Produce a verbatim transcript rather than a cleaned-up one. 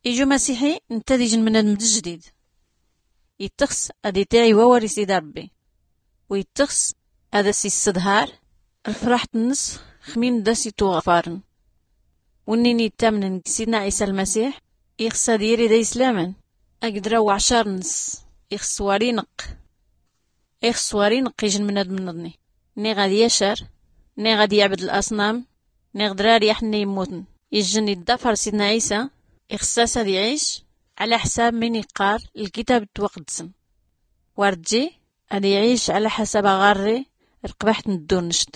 Iju masiḥi ntta ad-ijn mnadm d-jdid. Ittxs ad-itiɛ i-wawar-is i-d-rbbi, u-ittxs ad-as-isdhar lfraḥt nns xmin d-as-itwɣfarn. Wnnini ittamnn g-sidna ɛisa lmasiḥ, ixs ad-yiri d-ayslaman. Agdra uɛcar nns ixs war-inqq. Ixs war-inqq ijn mnadm nḍni, niɣ ad-yacar, niɣ ad-yɛbd laṣnam, niɣ drar yaḥnna immutn. Ijn iddafar sidna ɛisa, ixs-as ad-iɛic ɛla xsab min iqqar lkitab twaqdsn. War-dji ad-iɛic ɛla xsab aɣarri rqbaḥt n-ddurnct.